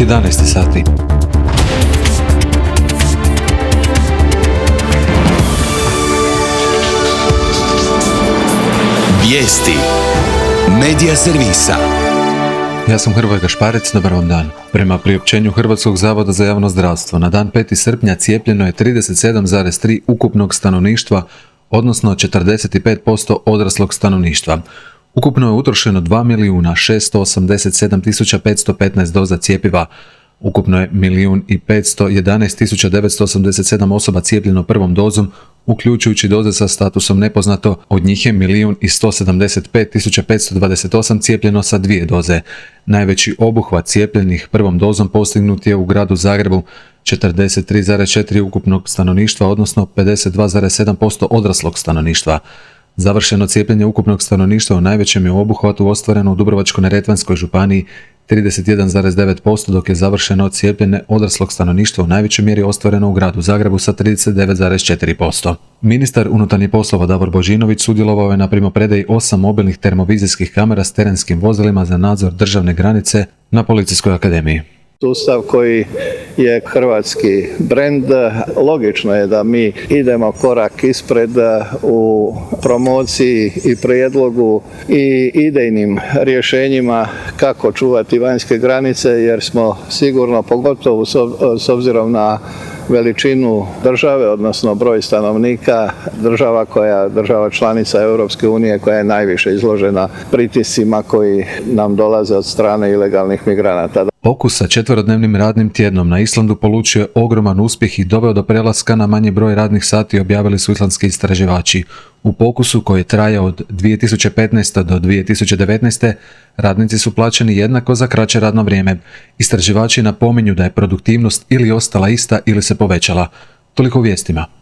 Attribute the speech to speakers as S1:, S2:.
S1: 11 sati.
S2: Vijesti Medija servisa.
S1: Ja sam Hrvoje Gašparec, dobar vam dan. Prema priopćenju Hrvatskog zavoda za javno zdravstvo, na dan 5. srpnja cijepljeno je 37,3% ukupnog stanovništva, odnosno 45% odraslog stanovništva. Ukupno je utrošeno 2.687.515 doza cjepiva. Ukupno je 1.511.987 osoba cijepljeno prvom dozom, uključujući doze sa statusom nepoznato, od njih je 1.175.528 cijepljeno sa 2 doze. Najveći obuhvat cijepljenih prvom dozom postignut je u gradu Zagrebu, 43,4% ukupnog stanovništva, odnosno 52,7% odraslog stanovništva. Završeno cijepljenje ukupnog stanovništva u najvećem je obuhvatu ostvareno u Dubrovačko-neretvanskoj županiji 31,9%, dok je završeno cijepljenje odraslog stanovništva u najvećoj mjeri ostvareno u gradu Zagrebu sa 39,4%. Ministar unutarnjih poslova Davor Božinović sudjelovao je na primopredaji 8 mobilnih termovizijskih kamera s terenskim vozilima za nadzor državne granice na Policijskoj akademiji.
S3: Sustav koji je hrvatski brend, logično je da mi idemo korak ispred u promociji i prijedlogu i idejnim rješenjima kako čuvati vanjske granice, jer smo sigurno, pogotovo s obzirom na veličinu države, odnosno broj stanovnika, država članica Europske unije koja je najviše izložena pritiscima koji nam dolaze od strane ilegalnih migranata.
S1: Pokus sa 4-dnevnim radnim tjednom na Islandu polučio je ogroman uspjeh i doveo do prelaska na manji broj radnih sati, objavili su islandski istraživači. U pokusu koji je trajao od 2015. do 2019. radnici su plaćeni jednako za kraće radno vrijeme. Istraživači napominju da je produktivnost ili ostala ista ili se povećala. Toliko u vijestima.